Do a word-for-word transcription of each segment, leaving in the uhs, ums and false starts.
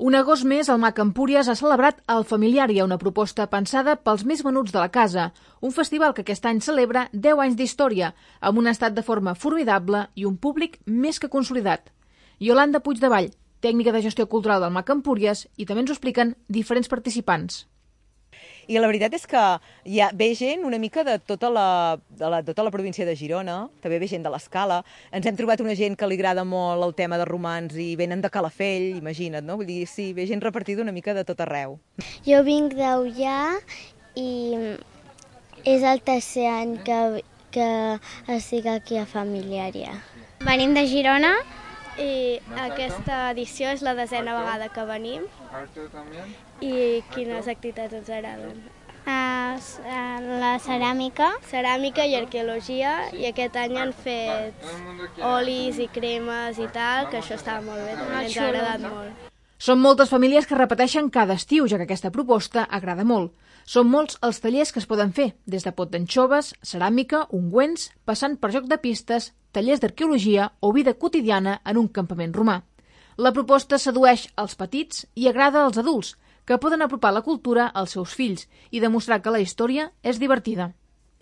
Un agost més, el Mac Empúries ha celebrat el Familiària, una proposta pensada pels més menuts de la casa. Un festival que aquest any celebra deu anys d'història, amb un estat de forma formidable i un públic més que consolidat. Iolanda Puigdevall, tècnica de gestió cultural del Mac Empúries, i també ens ho expliquen diferents participants. I la veritat és que hi ha, ve gent una mica de tota la, de la, tota la província de Girona, també ve gent de l'Escala. Ens hem trobat una gent que li agrada molt el tema de romans i venen de Calafell, imagina't, no? Vull dir, sí, ve gent repartida una mica de tot arreu. Jo vinc d'Ullà i és el tercer any que, que estic aquí a Familiària. Venim de Girona i aquesta edició és la desena vegada que venim. I quines activitats ens agraden? Uh, la ceràmica. Ceràmica i arqueologia, i aquest any han fet olis i cremes i tal, que això estava molt bé, també ens ha agradat molt. Són moltes famílies que repeteixen cada estiu, ja que aquesta proposta agrada molt. Són molts els tallers que es poden fer, des de pot d'anxoves, ceràmica, ungüents, passant per joc de pistes, tallers d'arqueologia o vida quotidiana en un campament romà. La proposta sedueix els petits i agrada als adults, que poden apropar la cultura als seus fills i demostrar que la història és divertida.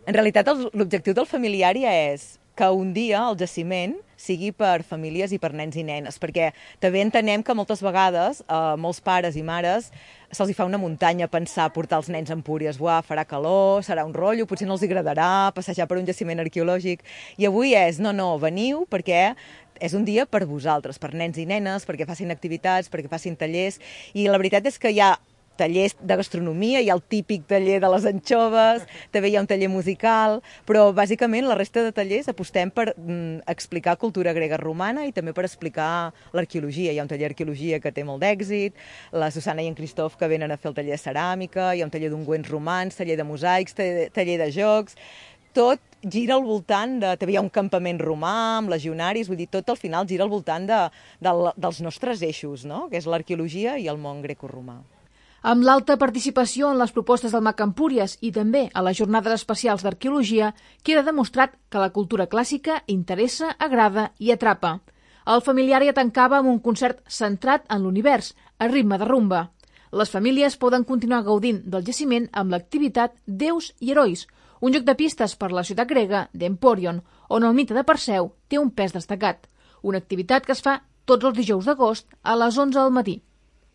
En realitat, l'objectiu del Familiària és que un dia el jaciment sigui per famílies i per nens i nenes, perquè també entenem que moltes vegades a molts pares i mares se'ls fa una muntanya pensar portar els nens a Empúries. Buah, farà calor, serà un rotllo, potser no els agradarà passejar per un jaciment arqueològic. I avui és, no, no, veniu perquè és un dia per vosaltres, per nens i nenes, perquè facin activitats, perquè facin tallers. I la veritat és que hi ha tallers de gastronomia, hi ha el típic taller de les anxoves, també hi ha un taller musical, però bàsicament la resta de tallers apostem per mm, explicar cultura grega romana i també per explicar l'arqueologia. Hi ha un taller d'arqueologia que té molt d'èxit, la Susana i en Cristof que venen a fer el taller de ceràmica, hi ha un taller d'ungüents romans, taller de mosaics, taller de jocs. Tot gira al voltant de... També hi ha un campament romà amb legionaris, vull dir, tot al final gira al voltant de, de, dels nostres eixos, no? Que és l'arqueologia i el món grecoromà. Amb l'alta participació en les propostes del Mac Empúries i també a les jornades especials d'arqueologia, queda demostrat que la cultura clàssica interessa, agrada i atrapa. El Familiària tancava amb un concert centrat en l'univers, a ritme de rumba. Les famílies poden continuar gaudint del jaciment amb l'activitat Déus i Herois, un joc de pistes per la ciutat grega d'Emporion, on el mite de Perseu té un pes destacat. Una activitat que es fa tots els dijous d'agost a les onze del matí.